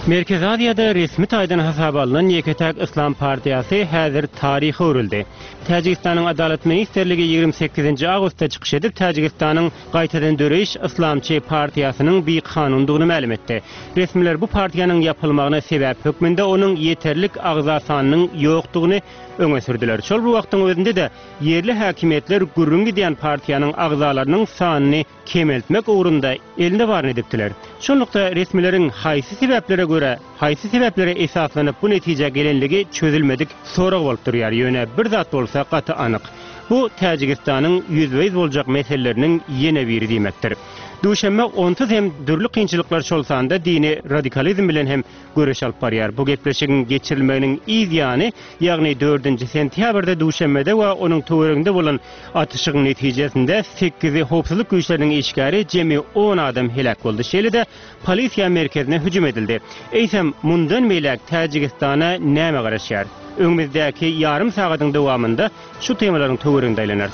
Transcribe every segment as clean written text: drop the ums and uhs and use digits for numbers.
Merkezi Aziýada resmi taýdan hasaba alnan ýeke-täk yslam partiýasy häzir taryha öwrüldi. Täjigistanyň Adalat ministrligi 28-nji awgustda çykyş edip, Täjigistanyň Gaýtadan döreýiş yslamçy partiýasynyň bikanundygyny mälim etdi. Resmiler bu partiýanyň ýapylmagyna sebäp hökmünde onuň ýeterlik agza sanynyň ýokdugyny öňe sürdüler. Şol bir wagtyň özünde-de, ýerli häkimiýetler gürrüň gidýän partiýanyň agzalarynyň sanyny kemeltmek ugrunda elinde baryny edipdiler. Şonlukda resmileriň haýsy sebäplere görä, haýsy sebäplere esaslanyp bu netijä gelenligi çözülmedik sorag bolup durýar. Ýöne bir zat bolsa gaty anyk. Bu Täjigistanyň ýüzbe-ýüz boljak meseleleriniň ýene biri diýmekdir. Duşenbe onsuz hem dürli kynçylyklar şol sanda dini radikalizm bilen hem göreş alyp barýar. Bu gepleşigiň geçirilmeginiň yz ýany, ýagny dördünji sentýabrda Duşenbede we onuň töwereginde bolan atyşygyň netijesinde sekizi howpsuzlyk güýçleriniň işgäri, jemi on adam heläk boldy. Şeýle-de, polisiýa merkezine hüjüm edildi. Eýsem, mundan beýläk Täjigistana näme garaşýar? Öňümizdäki ýarym sagadyň dowamynda şu temalaryň töwereginde aýlanarys.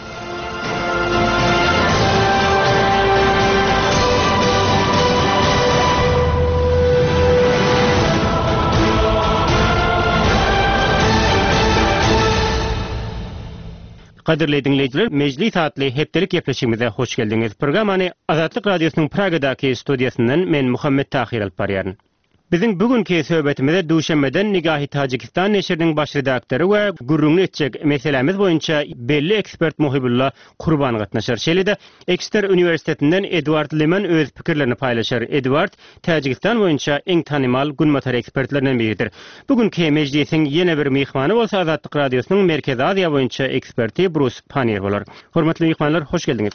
Gadyrly diňleýjiler, Mejlis atly hepdelik gepleşigimize hoş geldiňiz. Programmany Azatlyk Radiosynyň Pragadaky studiýasyndan men Muhammet Tahyr alyp barýaryn. Biziň bu günki söhbetimize Duşenbeden Nigahi Tajikistan neşiriniň baş redaktory we gürrüňini etjek meselämiz boýunça belli ekspert Muhibulla Kurban gatnaşar. Şeýle-de, Ekster uniwersitetinden Eduard Liman öz pikirlerini paýlaşar. Eduard Täjigistan boýunça iň tanymal günbatar ekspertlerinden biridir. Bu günki mejlisiň ýene bir myhmany bolsa Azatlyk Radiosynyň Merkezi Aziýa boýunça eksperti Brus Pannier bolar. Hormatly myhmanlar, hoş geldiňiz!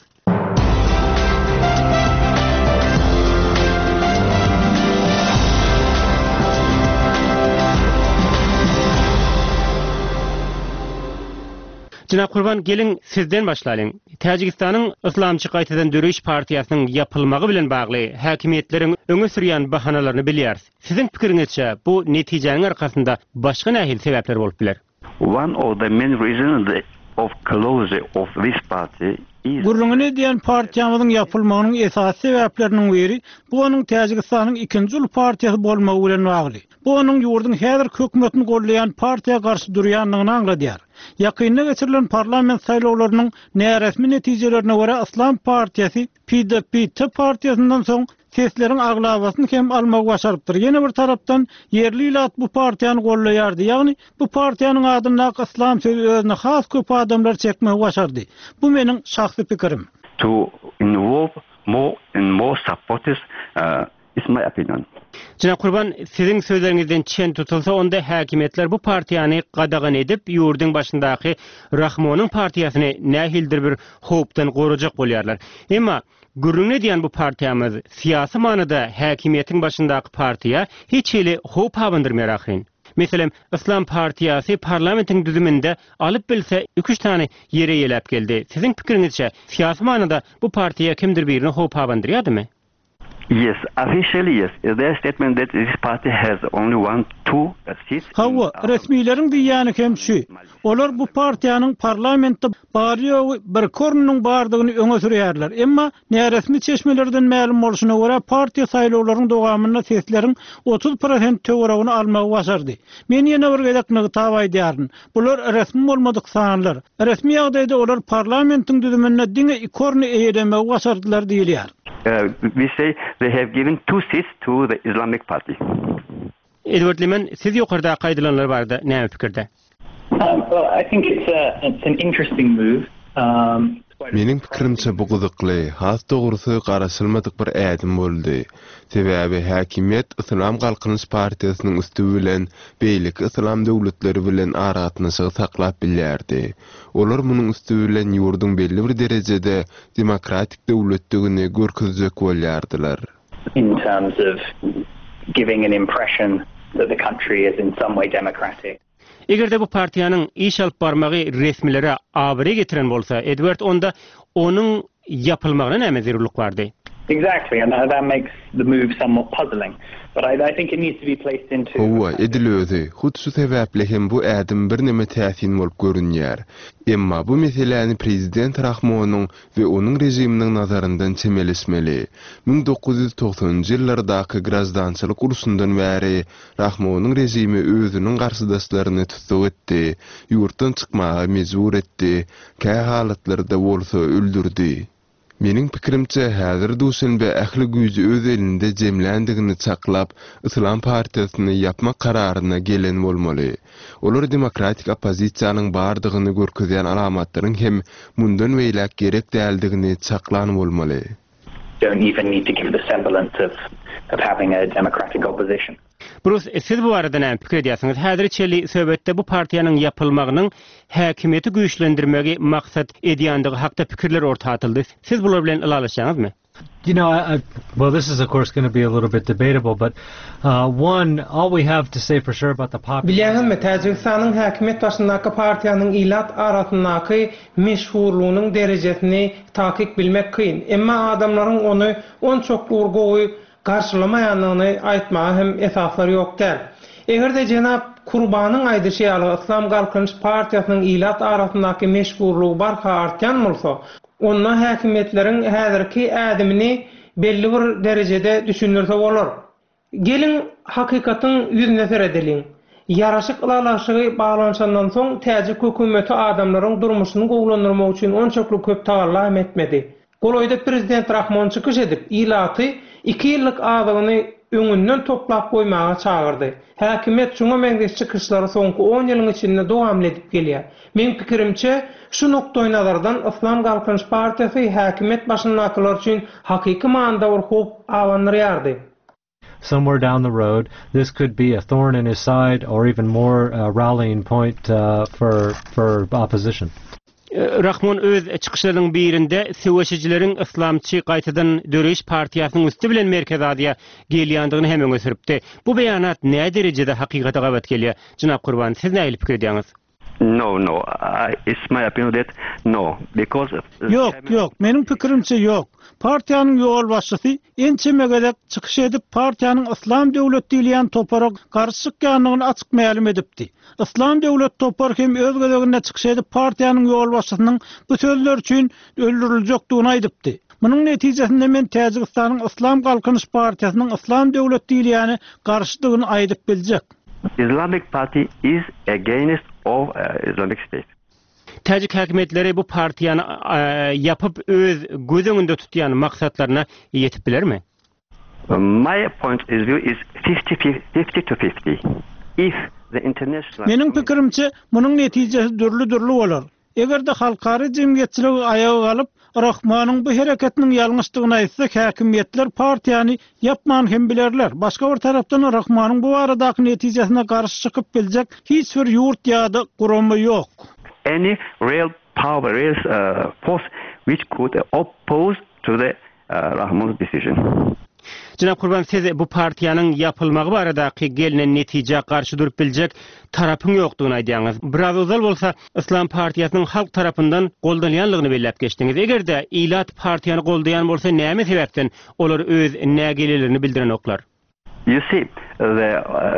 Jenap Gurban, geliň, sizden başlalyň. Täjigistanyň Yslamçy gaýtadan döreýiş partiýasynyň ýapylmagy bilen bagly häkimiýetleriň öňe sürýän bahanalaryny bilýäris. Siziň pikiriňizçe, bu netijäniň arkasynda başga nähili sebäpler bolup biler? One of the main reasons of closure of this party is. Gürrüňini edýän partiýamyzyň ýapylmagynyň esasy sebäpleriniň biri, bu onuň Täjigistanyň ikinji uly partiýasy bolmagy bilen bagly. Bu onuň ýurduň häzirki hökümetini goldaýan partiýa garşy durýandygyny aňladýar. Ýakynda geçirilen parlament saýlawlarynyň näresmi netijelerine görä Yslam partiýasy PDPT partiýasyndan soň sesleriň aglabasyny hem almagy başarypdyr. Ýene bir tarapdan ýerli ilat bu partiýany goldaýardy, ýagny bu partiýanyň adyndaky yslam sözi özüne has köp adamlary çekmegi başardy. Bu meniň şahsy pikirim. To involve more and more supporters It's my opinion. Jenap Gurban, siziň sözleriňizden çen tutulsa, onda häkimiýetler bu partiýany gadagan edip, ýurduň başyndaky Rahmonyň partiýasyny nähilidir bir howpdan gorajak bolýarlar. Emma, gürrüňini edýän bu partiýamyz syýasy manyda häkimiýetiň başyndaky partiýa hiç hili howp abandyrmaýar ahyryn. Meselem, Yslam partiýasy parlamentiň düzüminde alyp bilse iki-üç sany ýer eýeläp geldi. Siziň pikiriňizçe, syýasy manyda bu partiýa kimdir birine howp abandyrýardymy? Yes, officially yes. Their statement that this party has only one, two seats in Hawa, resmileriň diýýäni hem şu. Olar bu partiýanyň parlamentde bary-ýogy birki ornunyň bardygyny öňe sürýärler. Emma näresmi çeşmelerden mälim bolşuna görä, partiýa saýlawlaryň dowamynda sesleriň 30 prosent töweregini almagy başardy. Men ýene bir gezek nygtap aýdýaryn, bular resmi bolmadyk sanlar. Resmi ýagdaýda olar parlamentiň düzüminde diňe iki orny eýelemegi başardylar diýilýär. We say they have given two seats to the Islamic Party. Edward Liman, siz ýokardaky aýdylanlar barada näme pikirde? Meniň pikirimçe bu gyzykly, has dogrusy garaşylmadyk bir ädim boldy. Sebäbi häkimiýet Yslam Galkynyş partiýasynyň üsti bilen beýleki yslam döwletleri bilen aragatnaşygy saklap bilýärdi. Olar munuň üsti bilen ýurduň belli bir derejede demokratik döwletdigini görkezjek bolýardylar. In terms of giving an impression that the country is in some way democratic. Eger-de bu partiýanyň iş alyp barmagy resmilere abraý getiren bolsa, Edward, onda onuň ýapylmagyna näme zerurlyk bardy? Exactly, and that makes the move somewhat puzzling. But I, I think it needs to be placed into. Hawa, edil özi. Hut şu sebäpli hem bu ädim birneme täsin bolup görünýär. Emma bu meseläni prezident Rahmonyň we onuň režiminiň nazaryndan çemeleşmeli. 1990-njy ýyllardaky graždançylyk urşundan bäri Rahmonyň režimi özüniň garşydaşlaryny tussag etdi, ýurtdan çykmaga mejbur etdi, kähalatlarda bolsa öldürdi. Meniň pikirimçe, häzir Duşenbe ähli güýji öz elinde jemländigini çaklap, Yslam partiýasyny ýapmak kararyna gelen bolmaly. Olar demokratik oppozisiýanyň bardygyny görkezýän alamatlaryň hem mundan beýläk gerek däldigini çaklan bolmaly. Don't even need to give the semblance of of having a democratic opposition. Brus, siz bu barada näme pikir edýärsiňiz? Häzire çenli söhbetde bu partiýanyň ýapylmagynyň häkimiýeti güýçlendirmegi maksat edýändigi hakda pikirler orta atyldy. Siz bular bilen ylalaşýaňyzmy? You know, I, I, well, this is of course going to be a little bit debatable, but uh, one, all we have to say for sure about the popular. Bilýäňizmi, Täjigistanyň häkimiýet başyndaky partiýanyň ilat arasyndaky meşhurlygynyň derejesini takyk bilmek kyn. Emma adamlaryň ony onçakly bir gowy garşylamaýandygyny aýtmaga hem esaslar ýok däl. Eger-de jenap Kurbanyň aýdyşy ýaly Yslam Galkynyş partiýasynyň ilat arasyndaky meşhurlygy barha artýan bolsa, onda häkimiýetleriň häzirki ädimini belli bir derejede düşündirse bolar. Geliň, hakykatyň ýüzüne seredeliň. Ýaraşyk ylalaşygy baglanyşandan soň täjik hökümeti adamlaryň durmuşyny gowulandyrmak üçin onçakly köp tagalla hem etmedi. Golaýda prezident Rahmon çykyş edip, ilaty iki ýyllyk azygyny öňünden toplap goýmaga çagyrdy. Häkimiýet şuňa meňzeş çykyşlary soňky on ýylyň içinde dowamly edip gelýär. Meň pikirimçe, şu nukdaýnazardan Yslam Galkynyş partiýasy häkimiýet başyndakylar üçin hakyky manyda bir howp abandyrýardy. Somewhere down the road, this could be a thorn in his side or even more uh, rallying point uh, for for opposition. Rahmon öz çykyşlarynyň birinde söweşijileriň Yslamçy gaýtadan döreýiş partiýasynyň üsti bilen Merkezi Aziýa gelýändigini hem öňe sürüpdi. Bu beýanat näderejede hakykata gabat gelýär? Jenap Gurban, siz nähili pikir edýäňiz? No, no, I, it's my opinion that no, because Ýok, ýok, meniň pikirimçe ýok. Partiýanyň ýolbaşçysy ençeme gezek çykyş edip partiýanyň Yslam döwlet diýilýän topara garşy çykýandygyny açyk mälim edipdi. Yslam döwlet topary hem öz gezeginde çykyş edip partiýanyň ýolbaşçysynyň bu sözleri üçin öldüriljekdigini aýdypdy. Munuň netijesinde men Täjigistanyň Yslam galkynyş partiýasynyň Yslam döwlet diýilýäne garşydygyny aýdyp biljek. Islamic Party is against of Islamic State. Täjik häkimiýetleri bu partiýany ýapyp öz göz öňünde tutýan maksatlaryna ýetip bilermi? My point is view is fifty fifty to fifty. If the international. Meniň pikirimçe, munuň netijesi dürli-dürli bolar. Eger-de halkara jemgyýetçiligi aýaga galyp, Rahmanyň bu hereketiniň ýalňyşdygyny aýtsa, häkimiýetler partiýany ýapman hem bilerler. Başga bir tarapdan, Rahmanyň bu baradaky netijesine garşy çykyp biljek hiç bir ýurt ýa-da gurama ýok. Any real power, real force which could oppose to the Rahmon's decision. Jenap Gurban siz bu partiýanyň ýapylmagy baradaky gelnen netijä garşy durup biljek tarapyň ýokdugyny aýdýaňyz. Biraz ozal bolsa Yslam partiýasynyň halk tarapyndan goldanýanlygyny belläp geçdiňiz. Eger-de ilat partiýany goldaýan bolsa näme sebäpden olar öz nägilelerini bildirenoklar? You see, the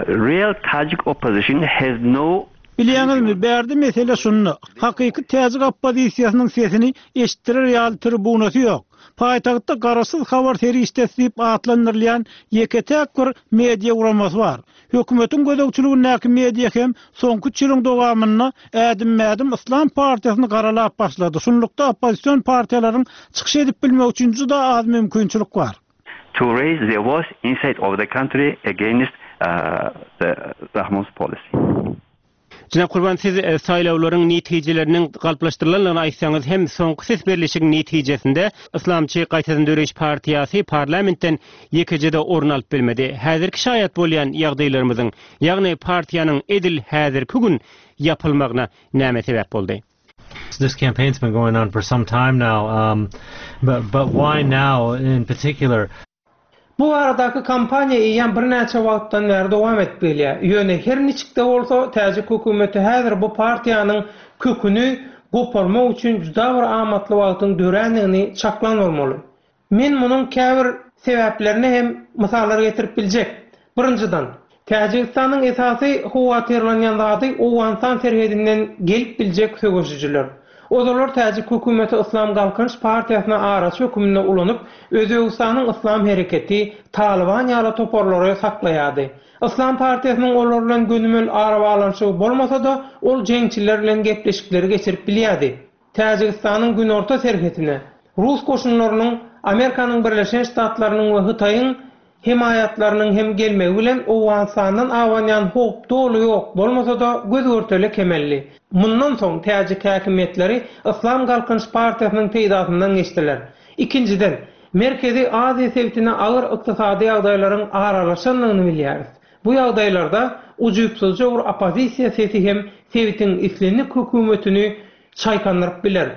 real Tajik opposition has no. Bilýäňizmi, bärde mesele şunda, hakyky täjik oppozisiýasynyň sesini eşitdirer ýaly tribunasy ýok. Paýtagtda garaşsyz habar serişdesi diýip atlandyrylýan ýeke-täk bir media guramasy bar. Hökümetiň gözegçiligindäki media hem soňky üç ýylyň dowamynda ädimme-ädim Yslam partiýasyny garalap başlady. Şunlukda oppozision partiýalaryň çykyş edip bilmegi üçin juda az mümkinçilik bar. To raise their voice inside of the country against the Rahmon's policy. Jenap Gurban siz saýlawlaryň netijeleriniň galplaşdyrylandygyny aýtsaňyz hem soňky ses berlişigiň netijesinde Yslamçy gaýtadan döreýiş partiýasy parlamentden ýekeje-de orun alyp bilmedi. Häzirki şaýat bolýan ýagdaýlarymyzyň, ýagny partiýanyň edil häzirki gün ýapylmagyna näme sebäp boldy? This campaign's been going on for some time now, um, but, but why now in particular? Bu baradaky kampaniýa eýýäm birnäçe wagtdan bäri dowam edip gelýär. Ýöne her niçik-de bolsa, täjik hökümeti häzir bu partiýanyň köküni goparmak üçin juda bir amatly wagtyň dörändigini çaklan bolmaly. Men munuň käbir sebäplerine hem mysallar getirip biljek. Birinjiden, Täjigistanyň esasy howatyrlanýan zady Owganystan serhedinden gelip biljek söweşijiler. Ozalar täjik hökümeti Yslam Galkynyş partiýasyny araçy höküminde ulanyp, Özbegistanyň Yslam hereketi, Talyban ýaly toparlary saklaýardy. Yslam partiýasynyň olar bilen gönümel arabaglanyşygy bolmasa-da, ol jeňçiler bilen gepleşikleri geçirip bilýärdi. Täjigistanyň günorta serhetine rus goşunlarynyň Amerikanyň Birleşen Ştatlarynyň we Hytaýyň hemaýatlarynyň hem gelmegi bilen Owganystandan abanýan howp doly ýok bolmasa-da göz-görtele kemeldi. Mundan soň täjik häkimiýetleri Yslam Galkynyş partiýasynyň peýdasyndan geçdiler. Ikinjiden, Merkezi Aziýa sebitine agyr ykdysady ýagdaýlaryň aralaşandygyny bilýäris. Bu ýagdaýlarda ujypsyzja bir oppozisiýa sesi hem sebitiň islendik hökümetini çaýkandyryp biler.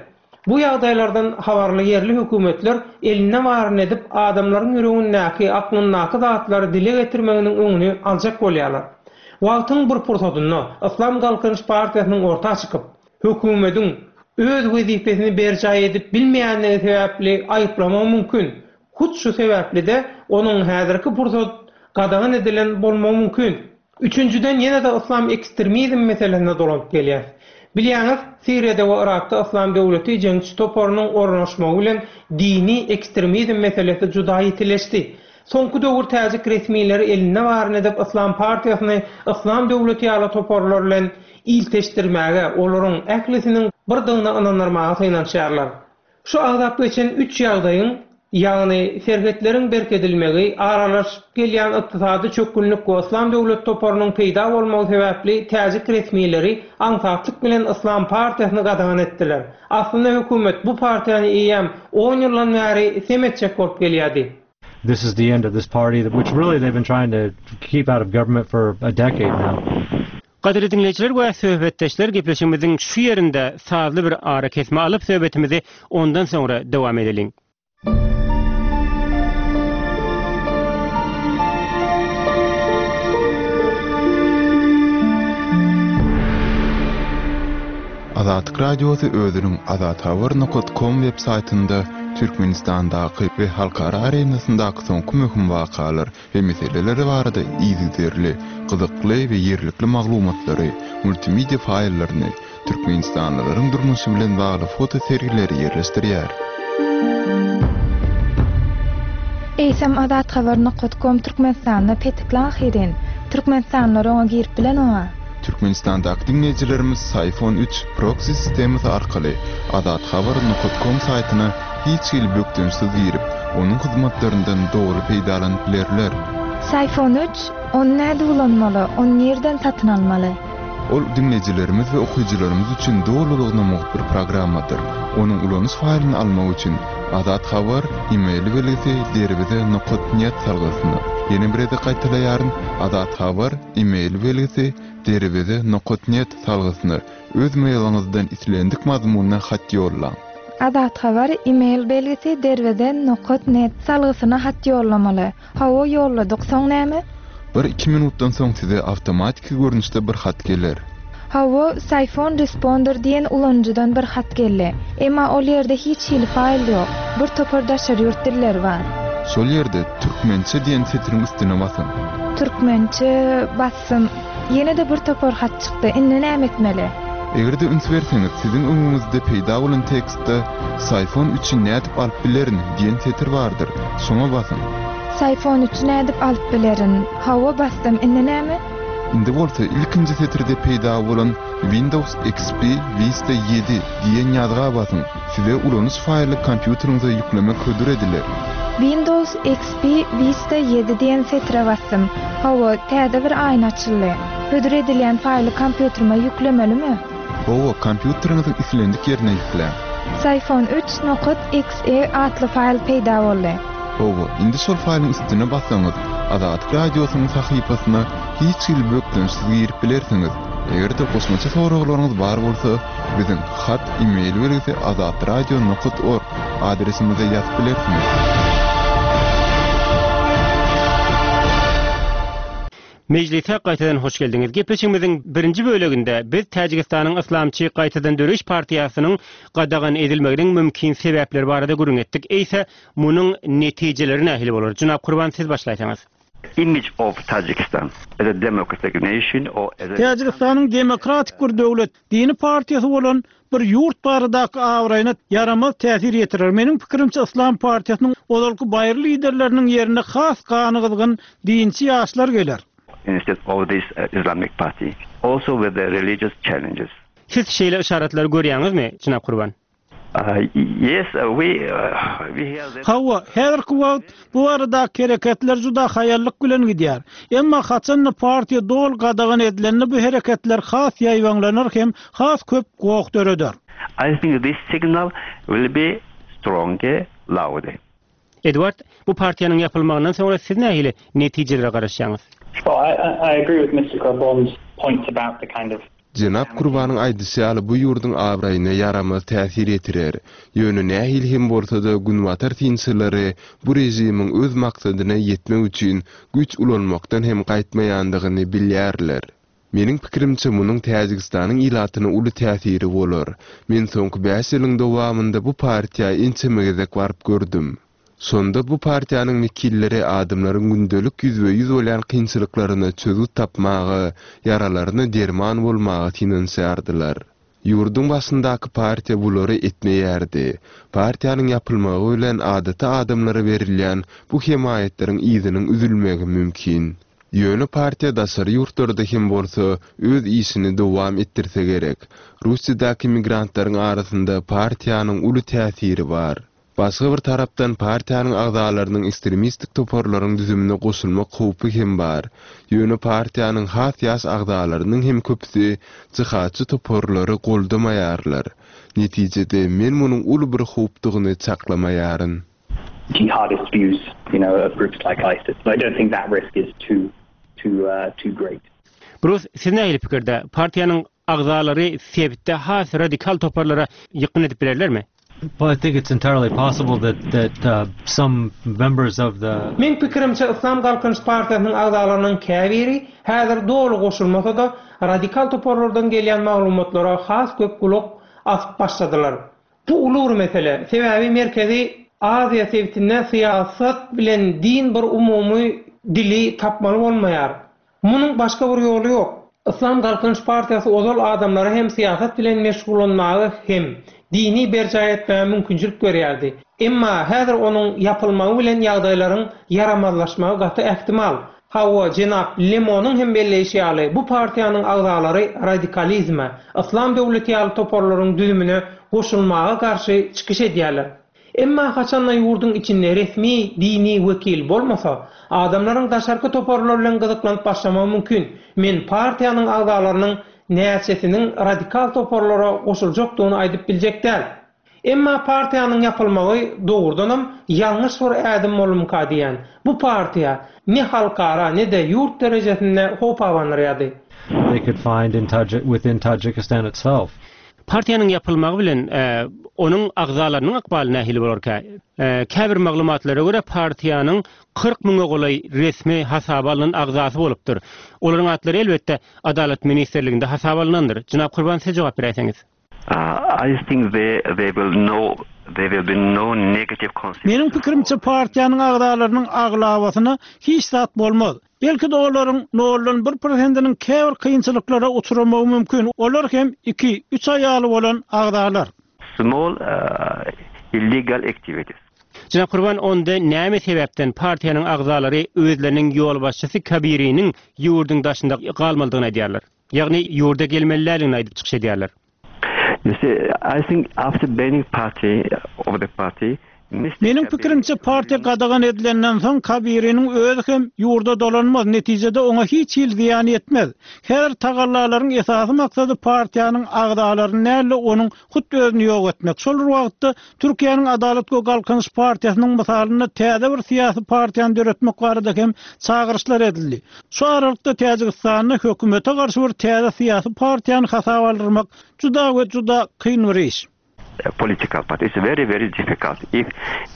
Bu ýagdaýlardan habarly ýerli hökümetler elinde baryny edip adamlaryň ýüregindäki, aklyndaky zatlary dile getirmeginiň öňüni aljak bolýarlar. Wagtyň bir pursatynda Yslam Galkynyş partiýasynyň orta çykyp, hökümediň öz wezipesini berjaý edip bilmeýändigi sebäpli aýyplamagy mümkin. Hut şu sebäpli-de onuň häzirki pursat gadagan edilen bolmagy mümkin. Üçünjiden ýene-de yslam ekstremizm meselesine dolanyp gelýäs. Bilýäňiz, Siriýada we Yrakda Yslam döwleti jeňçi toparynyň ornaşmagy bilen dini ekstremizm meselesi juda ýitileşdi. Soňky döwür täjik resmileri elinde baryny edip Yslam partiýasyny Yslam döwleti ýaly toparlar bilen ilteşdirmäge, olaryň ählisiniň birdigine ynandyrmaga synanyşýarlar. Şu agzap geçen üç ýagdaýyň, ýagny serhetleriň berkedilmegi, aralaşyp gelýän ykdysady çökgünlik we Yslam döwlet toparynyň peýda bolmagy sebäpli täjik resmileri aňsatlyk bilen Yslam partiýasyny gadagan etdiler. Aslynda hökümet bu partiýany eýýäm on ýyldan bäri sem etjek bolup gelýärdi. This is the end of this party which really they've been trying to keep out of government for a decade now. Gadyrly diňleýjiler we söhbetdeşler gepleşigimiziň şu ýerinde sazly bir arakesme alyp söhbetimizi ondan soňra dowam edeliň. Azatlyk Radiosy özüniň azathabar nokat kom web saýtynda Türkmenistandaky we halkara arenasyndaky soňky möhüm wakalar we meseleler barada yzygiderli, gyzykly we ýerlikli maglumatlary, multimedia faýllaryny, türkmenistanlylaryň durmuşy bilen bagly foto sergileri ýerleşdirýär. Eýsem azathabar nokat kom Türkmenistanda petikli ahyryn. Türkmenistanlylar oňa girip bilenoga. Türkmenistandaky diňleýjilerimiz Syfon üç proksi sistemasy arkaly azathabar nokat kom saýtyna hiç hili bökdençsiz girip, onuň hyzmatlaryndan doly peýdalanyp bilerler. Syfon üç, ony nädip ulanmaly, ony nirden satyn almaly? Ol diňleýjilerimiz we okyjylarymyz üçin dolulygyna mugt bir programmadyr. Onuň ulanyş faýlyny almak üçin Azat Habar e-mail belgisi derweze nokat net salgysyna, ýene bir gezek gaýtalaýaryn, Azat Habar e-mail belgisi derweze nokat net salgysyna öz mailiňizden islendik mazmunda hat ýollaň. Azat Habar e-mail belgisi derweze nokat net salgysyna hat ýollamaly. Hawa ýolladyk, soň näme? Bir-iki minutdan soň size awtomatiki görnüşde bir hat geler. Hawa, Syphon Responder diýen ulanyjydan bir hat geldi. Emma ol ýerde hiç hili faýl ýok. Bir topar daşary ýurt dilleri bar. Şol ýerde Türkmençe diýen setiriň üstüne basyň. Türkmençe basdym. Ýene-de bir topar hat çykdy. Indi näme etmeli? Eger-de üns berseňiz, siziň öňüňizde peýda bolan tekstde Syphon üçi nädip alyp bilerin diýen setir bardyr. Şoňa basyň. Syphon üçi nädip alyp bilerin? Hawa, basdym. Indi näme? Indi bolsa ilkinji setirde peýda bolan Windows XP Vista ýedi diýen ýazga basyň. Size ulanyş faýly kompýuteriňize ýüklemek hödür ediler. Windows XP Vista ýedi diýen setire basdym. Hawa, täze bir aýna açyldy. Hödür edilýän faýly kompýuterime ýüklemelimi? Hawa, kompýuteriňiziň islendik ýerine ýükläň. Syphon üç nokat XE atly faýl peýda boldy. Hawa, indi şol faýlyň üstüne bassaňyz, Azatlyk Radiosynyň sahypasyna hiç hili bökdençsiz girip bilersiňiz. Eger-de goşmaça soraglaryňyz bar bolsa, biziň hat e-mail belgisi azatradio nokat org adresimize ýazyp bilersiňiz. Mejlise gaýtadan hoş geldiňiz. Gepleşigimiziň birinji böleginde biz Täjigistanyň Yslamçy gaýtadan döreýiş partiýasynyň gadagan edilmeginiň mümkin sebäpleri barada gürrüň etdik. Eýse, munuň netijeleri nähili bolar? Jenap Kurban siz başlaýsaňyz. Image of Tajikistan as a democratic nation or as a. Täjigistanyň demokratik bir döwlet, dini partiýasy bolan bir ýurt baradaky abraýyna ýaramaz täsir ýetirer. Meniň pikirimçe Yslam partiýasynyň ozalky baýry liderleriniň ýerine has gany gyzgyn dinçi ýaşlar geler. Instead of this Islamic party also with the religious challenges. Siz şeýle yşaratlary görýäňizmi, jenap Kurban? Yes, we we hear that. Hawa, häzirki wagt bu baradaky hereketler juda haýallyk bilen gidýär. Emma haçan-da partiýa doly gadagan edilende bu hereketler has ýaýbaňlanar hem has köp goh döreder. I think this signal will be stronger, louder. Edward, bu partiýanyň ýapylmagyndan soňra siz nähili netijelere garaşýaňyz? Well, I I agree with Mister Kurbon's points about the kind of. Jenap Kurbanyň aýdyşy ýaly bu ýurduň abraýyna ýaramaz täsir ýetirer. Ýöne nähili hem bolsa-da günbatar synçylary bu režimiň öz maksadyna ýetmek üçin güýç ulanmakdan hem gaýtmaýandygyny bilýärler. Meniň pikirimçe munuň Täjigistanyň ilatyna uly täsiri bolar. Men soňky bäş ýylyň dowamynda bu partiýa ençeme gezek baryp gördüm. Şonda bu partiýanyň wekilleri adamlaryň gündelik ýüzbe-ýüz bolýan kynçylyklaryna çözgüt tapmaga, ýaralaryna derman bolmaga synanyşýardylar. Ýurduň başyndaky partiýa bulary etmeýärdi. Partiýanyň ýapylmagy bilen adaty adamlara berilýän bu hemaýatlaryň yzynyň üzülmegi mümkin. Ýöne partiýa daşary ýurtlarda hem bolsa öz işini dowam etdirse gerek. Russiýadaky migrantlaryň arasynda partiýanyň uly täsiri bar. Başga bir tarapdan partiýanyň agzalarynyň ekstremistik toparlaryň düzümine goşulmak howpy hem bar. Ýöne partiýanyň has ýaş agzalarynyň hem köpüsi jihadçy toparlary goldamaýarlar. Netijede men munuň uly bir howpdugyny çaklamaýaryn. Jihadist views, you know, of groups like ISIS. So I don't think that risk is too, too, too great. Brus, siz nähili pikirde? Partiýanyň agzalary sebitde has radikal toparlara ýykgyn edip bilerlermi? Well, I think it's entirely possible that that uh, some members of the Meň pikirimçe Yslam Galkynyş partiýasynyň agzalarynyň käbiri, häzir doly goşulmasa-da, radikal toparlardan gelýän maglumatlara has köp gulak asyp başladylar. Bu uly bir mesele, sebäbi Merkezi Aziýa sebitinde syýasat bilen din bir umumy dili tapmaly bolmaýar. Munuň başga bir ýoly ýok. Yslam Galkynyş partiýasy ozal adamlara hem syýasat bilen meşgullanmaga hem dini berjaý etmäge mümkinçilik berýärdi. Emma häzir onuň ýapylmagy bilen ýagdaýlaryň ýaramazlaşmagy gaty ähtimal. Hawa, jenap Lemonyň hem belleýşi ýaly, bu partiýanyň agzalary radikalizme, Yslam döwleti ýaly toparlaryň düzümine goşulmaga garşy çykyş edýärler. Emma haçanda ýurduň içinde resmi dini wekil bolmasa, adamlaryň daşarky toparlar bilen gyzyklanyp başlamagy mümkin. Men partiýanyň agzalarynyň näçesiniň radikal toparlara goşuljakdygyny aýdyp biljek däl. Emma partiýanyň ýapylmagy dogrudanam ýalňyş bir ädim bolumyka diýýän. Bu partiýa ne halkara, ne-de ýurt derejesinde howp abandyrýardy. They could find in Tajik within Tajikistan itself. Partiýanyň ýapylmagy bilen onuň agzalarynyň ykbaly nähili bolarka? Käbir maglumatlara görä, partiýanyň 40 müňe golaý resmi hasaba alnan agzasy bolupdyr. Olaryň atlary, elbetde, Adalat ministrliginde hasaba alnandyr. Jenap Kurban, siz jogap beräýseňiz. I think there will no there will be no negative consequences. Meniň pikirimçe, partiýanyň agzalarynyň aglabasyna hiç zat bolmaz. Belki-de olaryň noldan bir prosentiniň käbir kynçylyklara uçramagy mümkin, olar hem iki, üç aýaly bolan agzalar. Small illegal activities. Jenap Kurban, onda näme sebäpden partiýanyň agzalary özleriniň ýolbaşçysy Kabiriniň ýurduň daşynda galmalydygyny aýdýarlar? Ýagny ýurda gelmeli däldigini aýdyp çykyş edýärler. You see, I think after banning party of the party, Mister Meniň pikirimçe, partiýa gadagan edilenden soň Kabiriniň özi hem ýurda dolanmaz, netijede oňa hiç hili zyýan ýetmez. Häzir tagallalaryň esasy maksady partiýanyň agzalaryny däl-de onuň hut özüni ýok etmek. Şol bir wagtda Türkiýäniň Adalat we Galkynyş partiýasynyň mysalynda täze bir syýasy partiýany döretmek barada hem çagyryşlar edildi. Şu aralykda Täjigistanda hökümete garşy bir täze syýasy partiýany hasaba aldyrmak juda we juda kyn bir iş. Political party. It's very very difficult if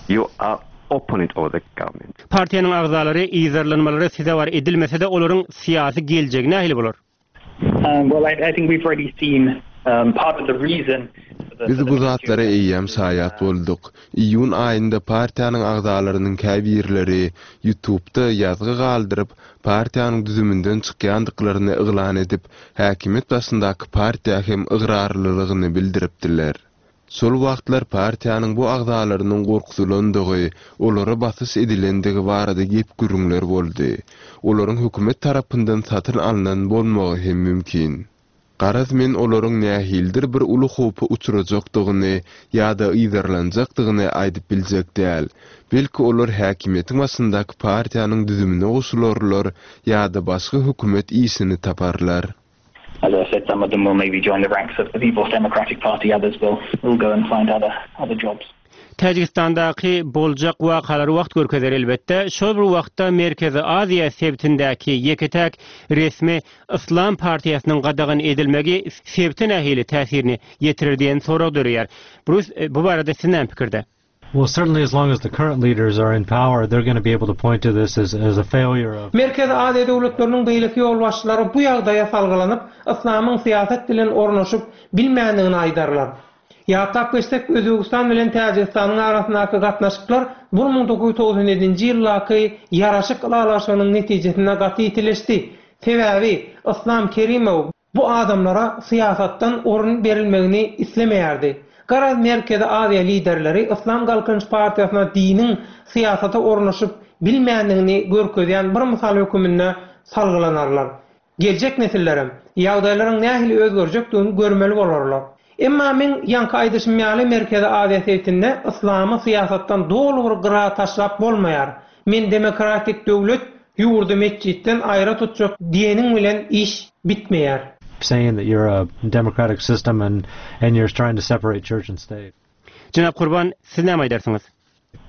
you are. opponent of the government. Partiýanyň agzalary yzarlanmalara sezewar edilmese-de, olaryň syýasy geljegi nähili bolar? Well, I think we've already seen part of the reason Biz bu zatlara eýýäm şaýat bolduk. Iýun aýynda partiýanyň agzalarynyň käbirleri YouTube-da ýazgy galdyryp, partiýanyň düzüminden çykýandyklaryny yglan edip, häkimiýet başyndaky partiýa hem ygrarlylygyny bildiripdiler. Şol wagtlar partiýanyň bu agzalarynyň gorkuzylandygy, olara basyş edilendigi barada gep-gürrüňler boldy. Olaryň hökümet tarapyndan satyn alnan bolmagy hem mümkin. Garaz men olaryň nähilidir bir uly howpa uçrajakdygyny ýa-da yzarlanjakdygyny aýdyp biljek däl. Belki olar häkimiýetiň başyndaky partiýanyň düzümine goşularlar ýa-da başga hökümet işini taparlar. As I said, some of them will maybe join the ranks of the People's Democratic Party, others will will go and find other other jobs. Täjigistandaky boljak wakalary wagt görkezer elbetde. Şol bir wagtda Merkezi Aziýa sebitindäki ýeke-täk resmi Yslam partiýasynyň gadagan edilmegi sebite nähili täsirini ýetirer diýen sorag döreýär. Brus, bu barada siz näme pikirde? Well, certainly as long as the current leaders are in power, they're going to be able to point to this as, as a failure of. Merkezi Aziýa döwletleriniň beýleki ýolbaşçylary bu ýagdaýa salgylanyp, yslamyň syýasat bilen ornaşyp bilmändigini aýdarlar. Ýatlap geçsek, Özbegistan bilen Täjigistanyň arasyndaky gatnaşyklar 1997-nji ýyldaky ýaraşyk ylalaşygynyň netijesinde gaty ýitileşdi. Sebäbi, Yslam Kerimow Bu adamlara syýasatdan orun berilmegini islemeýärdi. Garaz Merkezi Aziýa liderleri Yslam Galkynyş partiýasyna diniň syýasata ornaşyp bilmändigini görkezýän bir mysal höküminde salgylanarlar. Geljek nesillerem ýagdaýlaryň nähili özgerjekdigini görmeli bolarlar. Emma meň ýaňky aýdyşym ýaly Merkezi Aziýa sebitinde yslamy syýasatdan doly bir gyra taşlap bolmaýar. Men demokratik döwlet, ýurdy metjitden aýra tutjak diýeniň bilen iş bitmeýär. Saying that you're a democratic system and and you're trying to separate church and state. Jenap Gurban, siz näme aýdarsyňyz?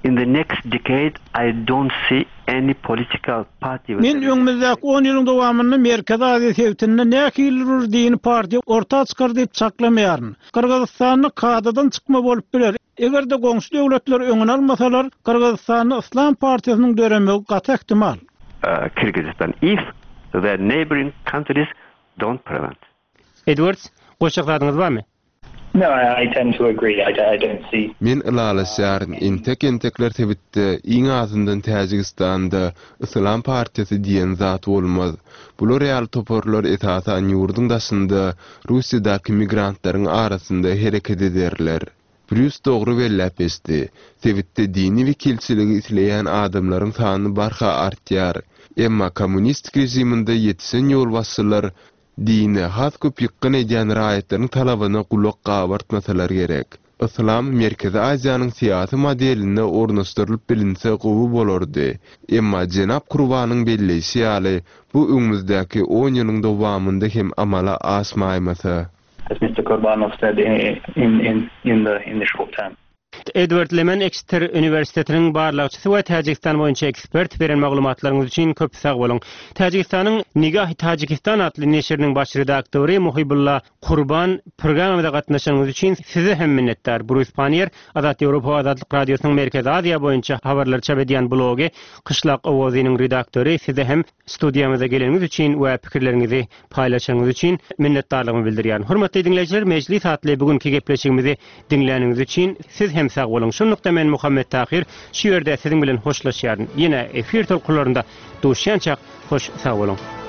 In the next decade I don't see any political party with Men öňümizdäki on ýylyň dowamynda Merkezi Aziýa sebitinde nähilidir bir dini partiýa orta çykar diýip çaklamaýaryn. Gyrgyzystanda kadadan çykma bolup biler. Eger-de goňşy döwletler öňüni almasalar, Gyrgyzystanda Yslam partiýasynyň döremegi gaty ähtimal. Kyrgyzystan if the neighboring countries don't prevent. Edwards, goşjak zadyňyz barmy? No, I tend to agree. I don't see. Men ylalaşýaryn, entek-entekler sebitde, iň azyndan Täjigistanda, Yslam partiýasy diýen zat bolmaz. Bular ýaly toparlar esasan ýurduň daşynda, Russiýadaky migrantlaryň arasynda hereket ederler. Brýus dogry belläp geçdi. Sebitde dini wekilçiligi isleýän adamlaryň sany barha artýar. Emma kommunistik režiminde ýetişen ýolbaşçylar Dine has köp ýykgyn edýän raýatlaryň talabyna gulak gabartmasalar gerek. Yslam Merkezi Aziýanyň syýasy modeline ornaşdyrylyp bilinse gowy bolardy. Emma jenap Kurbanyň belleýşi ýaly, bu öňümizdäki on ýylyň dowamynda hem amala aşmaýmasa. As Mister Kurbanov said in in in the in the short term. Edward Lemen Eksiter uniwersitetiniň barlagçysy we Täjigistan boýunça ekspert beren maglumatlaryňyz üçin köp sag boluň. Täjigistanyň Nigahi Tajikistan atly neşiriniň baş redaktory Muhibulla Kurban programmamyza gatnaşanyňyz üçin size hem minnetdar. Brus Pannier, Azat Ýewropa we Azatlyk Radiosynyň Merkezi Aziýa boýunça habarlary çap edýän blogy Kyşlak owazynyň redaktory size hem Studiýamyza geleniňiz üçin we pikirleriňizi paýlaşanyňyz üçin minnetdarlygymy bildirýärin. Hormatly diňleýjiler, Mejlis atly bu günki gepleşigimizi diňläniňiz üçin siz hem sag boluň. Şunlukda men Muhammet Tahyr şu ýerde siziň bilen hoşlaşýaryn. Ýene efir tolkunlarynda duşýançak hoş sag boluň.